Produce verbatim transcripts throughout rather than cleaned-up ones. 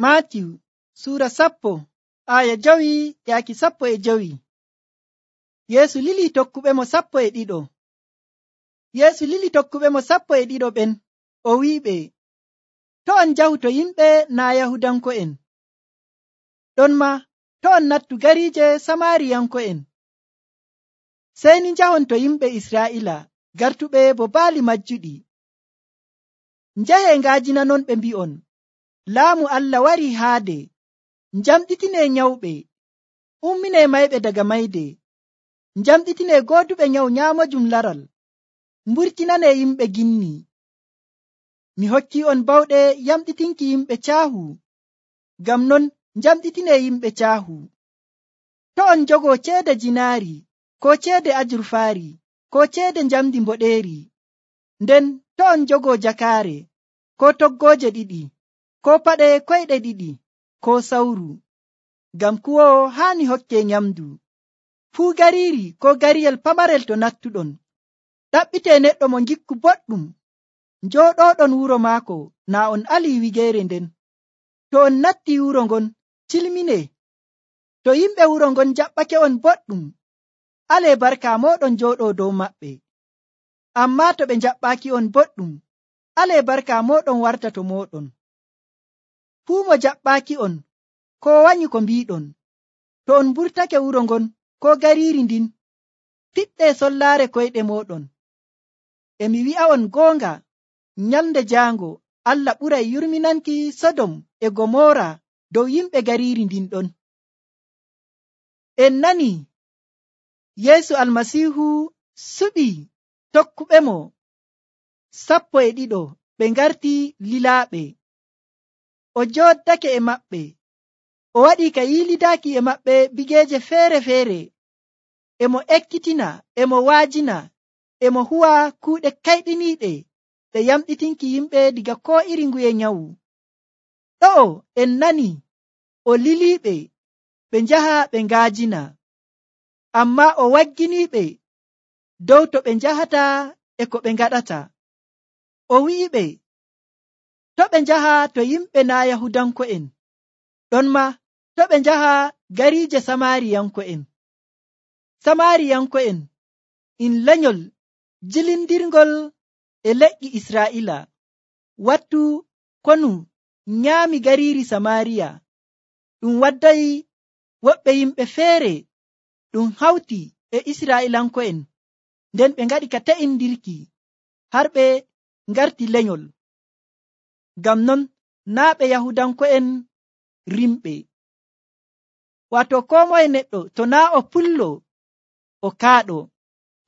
Maatiyu suura sappo aya jowi yaaki sappo e jowi. Yeesu lili tokkuɓe mo sappo e ɗiɗo. Yeesu lili tokkuɓe mo sappo e ɗiɗo ɓen o wi'iɓe, to on njahu to yimɓe naa Yahudanko'en. Ɗon ma to on nattu gariije Samaariyanko'en. Sey ni njahon to yimɓe Israa'ila gartuɓe bo baali majjuɗi. Njahe ngaajinanon ɓe mbi'on, laamu Allah warii haade. Njamɗitinee nyawɓe, umminee mayɓe daga mayde, njamɗitinee gooduɓe nyawu nyaamojum laral, mburtinanee yimɓe ginni. Mi hokki on bawɗe yamɗitinki yimɓe caahu, ngam non njamɗitinee yimɓe caahu. To on njogoo ceede jinaari, ko ceede ajurfaari, ko ceede njamdi mboɗeeri, nden to on njogoo jakaare, ko toggooje ɗiɗi, ko paɗe koyɗe ɗiɗi, ko sawru, ngam kuwowo haani hokkee nyamdu. Fuu gariiri ko gariyel pamarel to nattuɗon, ɗaɓɓitee neɗɗo mo ngikku boɗɗum, njooɗooɗon wuro maako naa on alii wigeere nden. To on nattii wuro ngon, cilminee. To yimɓe wuro ngon jaɓɓake on boɗɗum, alee barka mooɗon njooɗoo dow maɓɓe. Ammaa to ɓe njaɓɓaaki on boɗɗum, alee barka mooɗon warta to mooɗon. Fuu mo jaɓɓaaki on, ko wanyi ko mbiiɗon, to on mburtake wuro ngon ko gariiri ndin, fiɗɗee sollaare koyɗe mooɗon. E mi wi'a'on goonga, nyalnde jaango Allah ɓuray yurminanki Sodom e Gomora dow yimɓe gariiri ndin ɗon. En nani Yeesu Almasiihu suɓii tokkuɓe mo sappo e ɗiɗo ɓe ngarti lilaaɓe. O jooddake e maɓɓe, o waɗii ka yiilidaaki e maɓɓe bigeeje feere-feere, e mo ekkitina, e mo waajina, e mo huwa kuuɗe kayɗiniiɗe ɗe yamɗitinki yimɓe diga koo iri nguye nyawu. Ɗo'o en nani o liliiɓe ɓe njaha ɓe ngaajina, ammaa o wagginiiɓe dow to ɓe njahata e ko ɓe ngaɗata. O wi'iɓe to ɓe njaha to yimɓe naa Yahudanko'en, ɗon ma to ɓe njaha gariije Samaariyanko'en. Samaariyanko'en in lenyol jilindirngol e leƴƴi Israa'iila, wattu konu nyaami gariiri Samaariya. Ɗum waddayi woɓɓe yimɓe feere ɗum hawti e Israa'iilanko'en, nden ɓe ngaɗi ka te'indirki har ɓe ngarti lenyol. Ngam non naa ɓe Yahudanko'en rimɓe. Waato koo moye neɗɗo to naa o pullo o kaaɗo.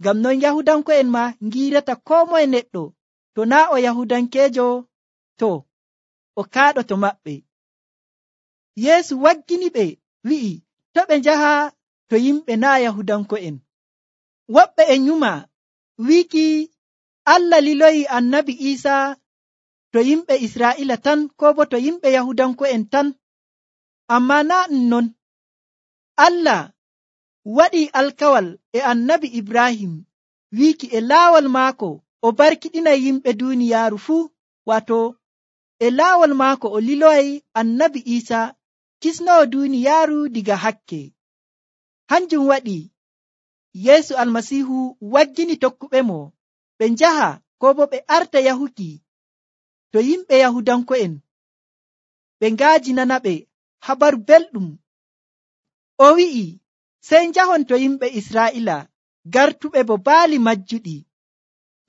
Ngam non Yahudanko'en ma ngiirata koo moye neɗɗo to naa o Yahudankeejo to o kaaɗo to maɓɓe. Yeesu waggini ɓe wi'i to ɓe njaha to yimɓe naa Yahudanko'en. Woɓɓe e nyuma wiiki Allah liloyi annabi Iisaa to yimɓe Israa'iila tan koo bo to yimɓe Yahudanko'en tan. Ammaa naa ɗum non. Allah waɗii alkawal e annabi Ibrahim wiiki e laawol maako o barkiɗinay yimɓe duuniyaaru fuu, waato e laawol maako o liloyay annabi Iisaa kisnowo duuniyaaru diga hakke. Hanjum waɗi Yeesu Almasiihu waggini tokkuɓe mo ɓe njaha koo bo ɓe arta yahuki to yimɓe Yahudanko'en, ɓe ngaajinana ɓe habaru belɗum. O wi'i sey njahon to yimɓe Israa'iila gartuɓe bo baali majjuɗi.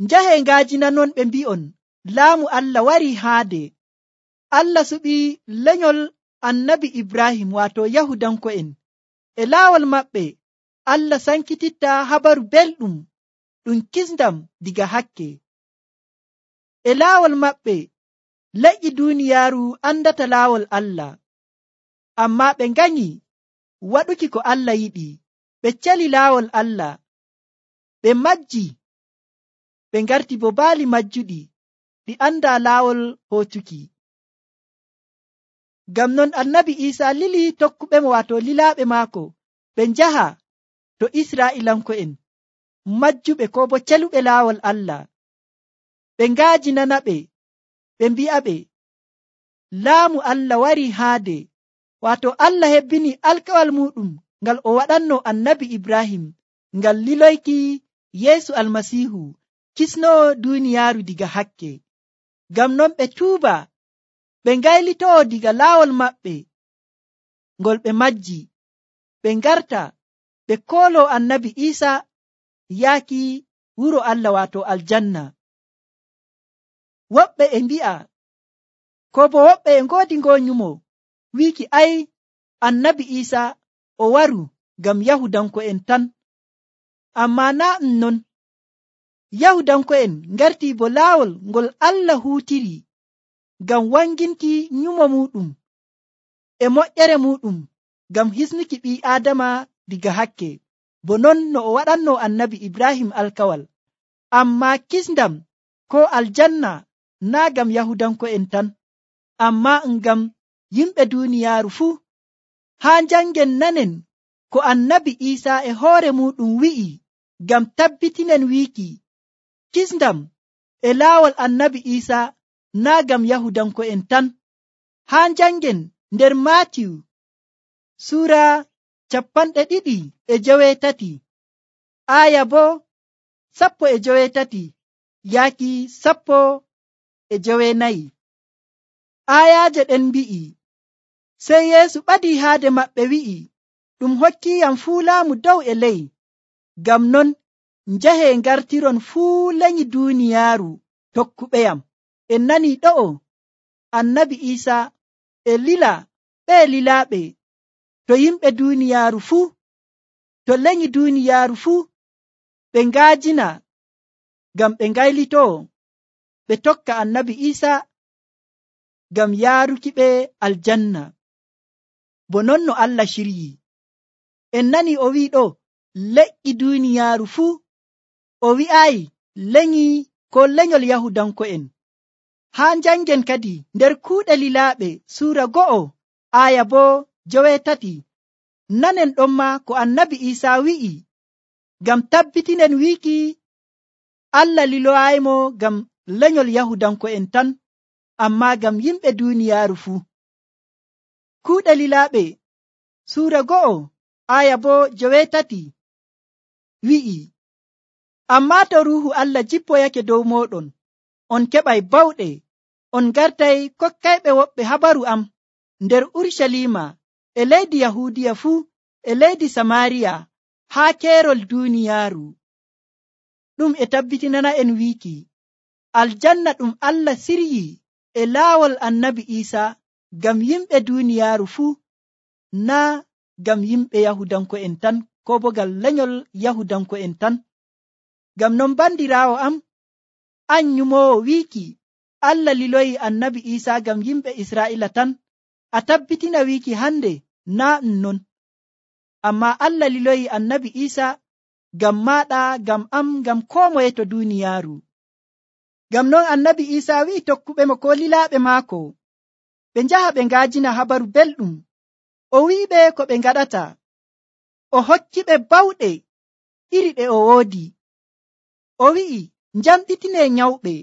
Njahee ngaajinanon ɓe mbi'on, laamu Allah warii haade. Allah suɓii lenyol annabi Ibrahim waato Yahudanko'en. E laawol maɓɓe Allah sankititta habaru belɗum ɗum kisndam diga hakke. E laawol maɓɓe leƴƴi duuniyaaru andata laawol Allah. Ammaa ɓe nganyi waɗuki ko Allah yiɗi, ɓe celi laawol Allah, ɓe majji, ɓe ngarti bo baali majjuɗi ɗi andaa laawol hootuki. Ngam non annabi Iisaa lili tokkuɓe mo waato lilaaɓe maako ɓe njaha to Israa'iilanko'en majjuɓe koo bo celuɓe laawol Allah, ɓe ngaajinana ɓe, ɓe mbi'a ɓe laamu Allah wari haade, wato Allah hebbini alkawal muɗum ngal o waɗanno annabi Ibrahim ngal liloyki Yeesu almasiihu kisnowo duuniyaaru diga hakke. Ngam non ɓe tuuba, ɓe ngaylitoo diga laawol maɓɓe ngol ɓe majji, ɓe ngarta ɓe kooloo annabi Iisa yaaki wuro Allah wato aljanna. Woɓɓe e mbi'a, ko bo woɓɓe e ngoodi ngonyumo wiiki ay annabi Iisa o waru ngam Yahudanko'en tan. Amma naa ɗum non. Yahudanko'en ngartii bo laawol ngol Allah huutiri ngam wanginki nyumo muɗum e moƴƴere muɗum ngam hisnuki ɓii Aadama diga hakke, bo non no o waɗanno annabi Ibrahim alkawal. Amma kisndam ko aljanna naa ngam Yahudanko'en tan, amma ngam yimɓe duuniyaaru fuu. Haa njangen nanen ko annabi Iisa e hoore muɗum wi'i ngam tabbitinen wiiki kisndam e laawol annabi Iisa naa ngam Yahudanko'en tan. Haa njangen nder Maatiyu suura capanɗe ɗiɗi e joweetati, aaya bo sappo e joweetati yaaki sappo e joweenayi. Aayaaje ɗen mbi'i, sey Yeesu ɓadii haade maɓɓe wi'i, ɗum hokkiiyam fuu laamu dow e ley. Ngam non njahee ngartiron fuu lenyi duuniyaaru tokkuɓeyam. En nanii ɗo'o annabi Iisa e lila ɓee lilaaɓe to yimɓe duuniyaaru fuu, to lenyi duuniyaaru fuu, ɓe ngaajina ngam ɓe ngaylitoo ɓe tokka annabi Iisa ngam yaaruki ɓe aljanna, bo non no Allah shiryi. En nani o wi'i ɗo leƴƴi duuniyaaru fuu, o wi'aayi lenyi ko lenyol Yahudanko'en. Haa njangen kadi nder kuuɗe lilaaɓe suura go'o aaya bo joweetati, nanen ɗon ma ko annabi Iisa wi'i ngam tabbitinen wiiki Allah liloyaymo ngam lenyol Yahudanko'en tan, amma ngam yimɓe duuniyaaru fuu. Kuuɗe lilaaɓe suura go'o aya bo joweetati wi'i, ammaa to ruuhu Allah jippoyake dow mooɗon, on keɓay bawɗe, on gartay kokkayɓe woɓɓe habaru am nder Urucaliima, e leydi Yahuudiya fuu, e leydi Samaariya, haa keerol duuniyaaru. Ɗum e tabbitinana en wiiki aljanna ɗum Allah siryi e laawol annabi Iisa ngam yimɓe duuniyaaru fuu, naa ngam yimɓe Yahudanko'en tan, ko bo ngal lenyol Yahudanko'en tan. Ngam non bandiraawo am, an nyumoowo wiiki Allah liloyi annabi Iisa ngam yimɓe Israa'iila tan, a tabbitina wiiki hande naa ɗum non. Amma Allah liloyi annabi Iisa ngam maaɗa, ngam am, ngam koo moye to duuniyaaru. Ngam non annabi Iisa wi'i tokkuɓe mo ko lilaaɓe maako ɓe njaha ɓe ngaajina habaru belɗum. O wi'iɓe ko ɓe ngaɗata. O hokkiɓe bawɗe iri ɗe o woodi. O wi'i, njamɗitinee nyawɓe,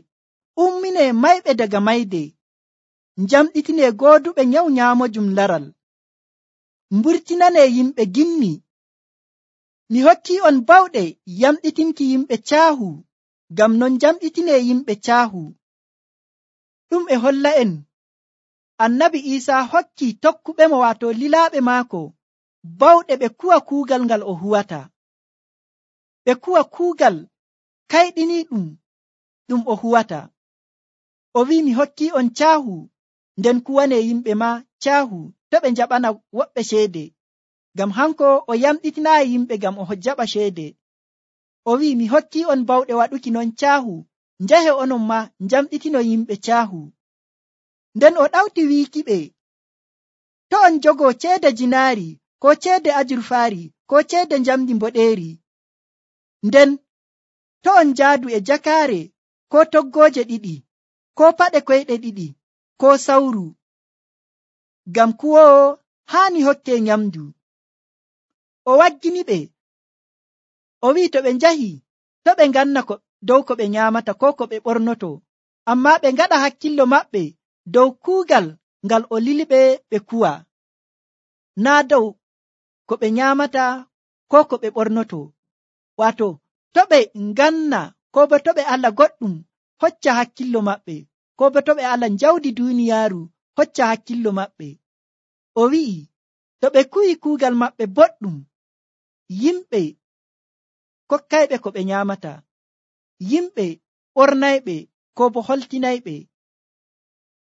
umminee mayɓe daga mayde, njamɗitinee gooduɓe nyawu nyaamojum laral, mburtinanee yimɓe gimmi. Mi hokkii on bawɗe yamɗitinki yimɓe caahu, ngam non njamɗitinee yimɓe caahu. Ɗum e holla en annabi Iisa hokki tokkuɓe mo waato lilaaɓe maako bawɗe ɓe kuwa kuugal ngal o huwata. Ɓe kuwa kuugal kayɗiniiɗum ɗum o huwata. O wi'i, mi hokkii on caahu, nden kuwanee yimɓe ma caahu to ɓe njaɓana woɓɓe ceede, ngam hanko o yamɗitinaayi yimɓe ngam o jaɓa ceede. O wi'i, mi hokkii on bawɗe waɗuki non caahu, njahe onon ma njamɗitino yimɓe caahu. Nden o ɗawti wiikiɓe, to on jogoo ceede jinaari, ko ceede ajurfaari, ko ceede njamdi mboɗeeri, nden to on njaadu e jakaare, ko toggooje ɗiɗi, ko paɗe koyɗe ɗiɗi, ko sawru, ngam kuwoowo haani hokkee nyamdu. O wagginiɓe, o wi'i to ɓe njahi, to ɓe nganna ko dow ko ɓe nyaamata ko ko ɓe ɓornoto, amma ɓe ngaɗa hakkillo maɓɓe dow kuugal ngal o liliɓe ɓe kuwa, naa dow ko ɓe nyaamata ko ko ɓe ɓornoto. Wato, to ɓe nganna ko bo to ɓe ala goɗɗum hocca hakkillo maɓɓe, ko bo to ɓe ala njawdi duuniyaaru hocca hakkillo maɓɓe. O wi'i to ɓe kuwi kuugal maɓɓe boɗɗum, yimɓe kokkayɓe ko ɓe nyaamata, yimɓe ɓornayɓe ko bo holtinayɓe.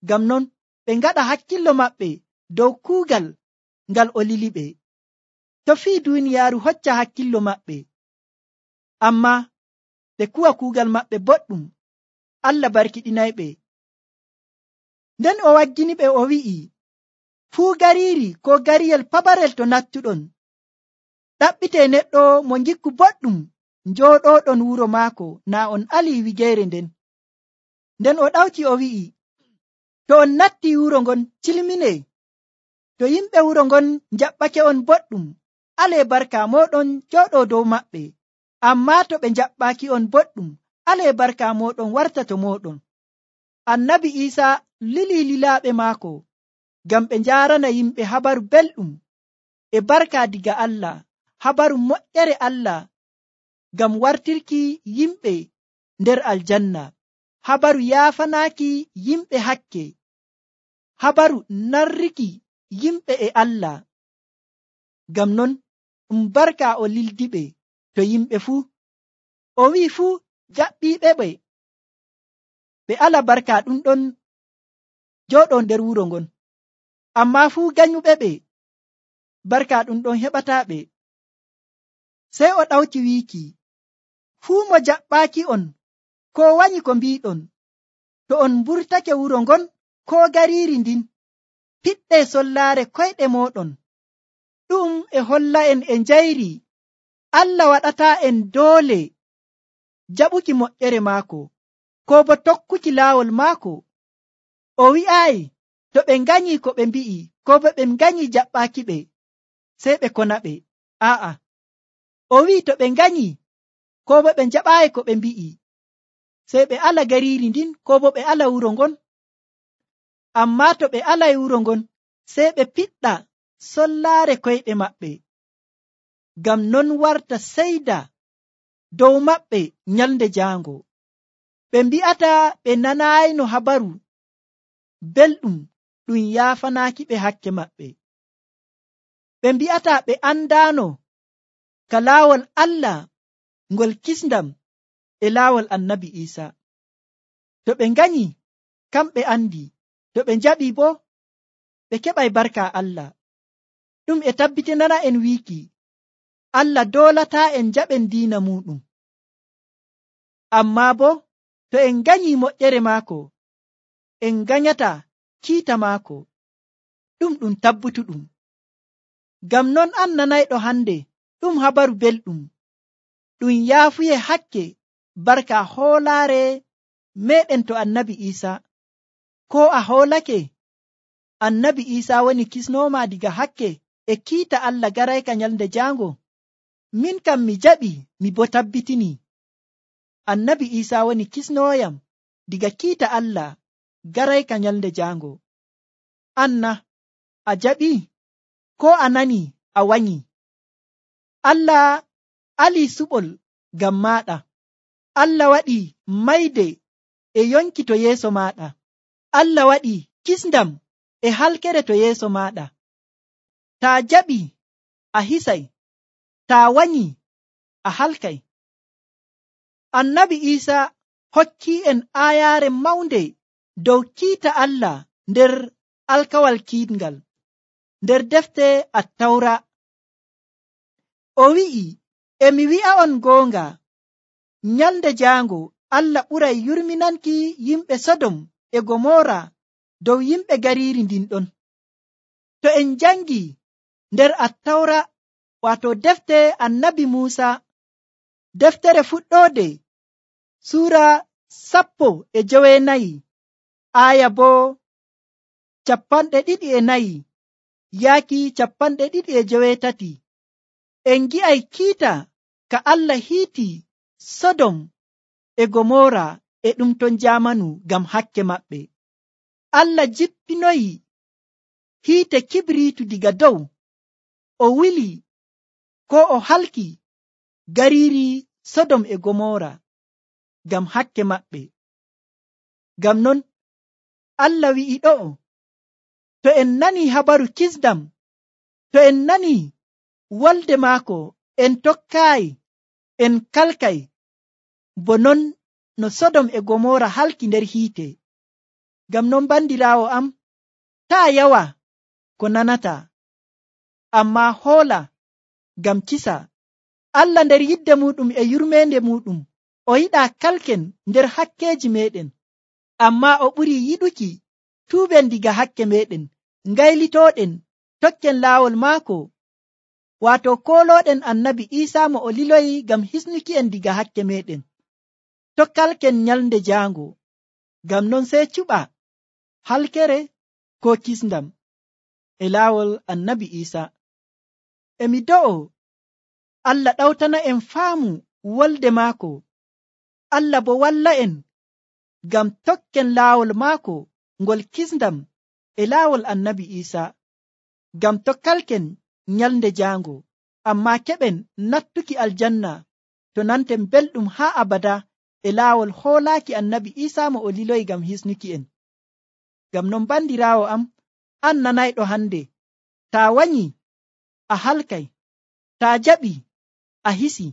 Ngam non ɓe ngaɗa hakkillo maɓɓe dow kuugal ngal o liliɓe. To fii duuniyaaru hocca hakkillo maɓɓe, amma ɓe kuwa kuugal maɓɓe boɗɗum, Allah barkiɗinayɓe. Nden o wagginiɓe o wi'i, fuu gariiri ko gariyel pabarel to nattuɗon, ɗaɓɓite neɗɗo mo ngikku boɗɗum njooɗoɗon wuro maako naa on alii wigeere nden. Nden o ɗawti o wi'i, to on natti wuro ngon cilmine, to yimɓe wuro ngon njaɓɓake on boɗɗum, alee barka moɗon jooɗo dow maɓɓe. Ammaa to ɓe njaɓɓaki on boɗɗum, alee barka moɗon warta to moɗon. Annabi Iisa lilii lilaaɓe maako ngam ɓe njaarana yimɓe habaru belɗum e barka diga Allah, habaru moƴƴere Allah ngam wartirki yimɓe nder aljanna, habaru yaafanaaki yimɓe hakke, habaru narriki yimɓe e Allah. Ngam non ɗum barka o lildiɓe to yimɓe fuu. O wi'i fuu jaɓɓiiɓe ɓe ɓe ala barka ɗum ɗon jooɗo nder wuro ngon, ammaa fuu ganyuɓe ɓe barka ɗum ɗon heɓataaɓe. Sey o ɗawti wiiki, fuu mo jaɓɓaaki on ko wanyi ko mbiɗon, to on mburtake wuro ngon ko gariiri ndin, piɗɗe sollaare koyɗe mooɗon. Ɗum e holla en e njayri Allah waɗataa en doole jaɓuki moƴƴere maako, ko bo tokkuki laawol maako. O wi'aayi to ɓe nganyi ko ɓe mbi'i, ko bo ɓe nganyi jaɓɓaaki ɓe, sey ɓe kona ɓe. Aa'a, o wi'i to ɓe nganyi ko bo ɓe njaɓaayi ko ɓe mbi'i, sey ɓe ala gariiri ndin ko bo ɓe ala wuro ngon. Ammaa to ɓe alay wuro ngon, sey ɓe piɗɗa sollaare koyɗe maɓɓe, ngam non warta seyda dow maɓɓe nyalnde jaango. Ɓe mbi'ata ɓe nanayno habaru belɗum ɗum yaafanaaki ɓe hakke maɓɓe. Ɓe mbi'ata ɓe andaano ka laawol Allah ngol kisndam e laawol Annabi Iisa. To ɓe nganyi, kamɓe andi, to ɓe njaɓi bo ɓe keɓay barka Allah. Ɗum e tabbitinana en wiiki Allah doolataa en jaɓen diina muɗum. Ammaa bo to en nganyi moƴƴere maako, en nganyata kiita maako. Ɗum ɗum tabbutuɗum. Ngam non an nanayɗo hande, ɗum habaru belɗum ɗum yaafuye hakke barka hoolaare meɗen to Annabi Iisa. Ko a hoolake Annabi Iisa woni kisnooma diga hakke e kiita Allah garayka nyalnde jaango? Min kam mi jaɓi, mi bo tabbitini Annabi Iisa woni kisnooyam diga kiita Allah garayka nyalnde jaango. Anna a jaɓi ko a nani a wanyi? Allah alii suɓol ngam maaɗa. Allah waɗi mayde e yonki to yeeso maaɗa. Allah waɗi kisndam e halkere to yeeso maaɗa. Taa jaɓi a hisay, taa wanyi a halkay. Annabi Iisa hokki en aayaare mawnde dow kiita Allah nder alkawal kiiɗngal, nder defte Attawra. O wi'i, e mi wi'a on goonga, nyalnde jaango Allah ɓuray yurminanki yimɓe Sodom e Gomora dow yimɓe gariiri ndin ɗon. To en jangi nder Attawra, wato defte Annabi Muusa, deftere fuɗɗoode suura sappo e joweenayi, aya bo capanɗe ɗiɗi e nayi yaaki capanɗe ɗiɗi e joweetati, en gi'ay kiita ka Allah hiiti Sodom e Gomora e ɗum ton jamanu ngam hakke maɓɓe. Allah jippinoyi hiite kibriitu diga dow o wili ko o halki gariiri sodom e gomora ngam hakke maɓɓe. Ngam non Allah wi'i ɗo'o, to en nani habaru kisdam, to en nani wolde maako, en tokkaayi, en kalkay bo non no sodom e gomora halki nder hiite. Ngam non bandiraawo am, taa yawa ko nanata, amma hoola ngam kisa. Allah nder yidde muɗum e yurmeende muɗum o yiɗaa kalken nder hakkeeji meɗen, amma o ɓuri yiɗuki tuuben diga hakke meɗen, ngaylitooɗen tokken laawol maako, waato koolooɗen annabi Iisaa mo o liloyi ngam hisnuki en diga hakke meɗen. To kalken nyalnde jaango, ngam non sey cuɓa halkere ko kisndam e laawol annabi Iisaa. E mi do'o Allah ɗawtana en faamu wolde maako, Allah bo walla en ngam tokken laawol maako ngol kisndam e laawol annabi Iisaa, ngam to kalken nyalnde jaango, amma keɓen nattuki aljanna to nanten belɗum haa abada e laawol hoolaaki annabi Iisaa mo o liloyi ngam hisnuki en. Ngam non bandiraawo am, an nanayɗo hande, taa wanyi a halkay, taa jaɓi a hisi.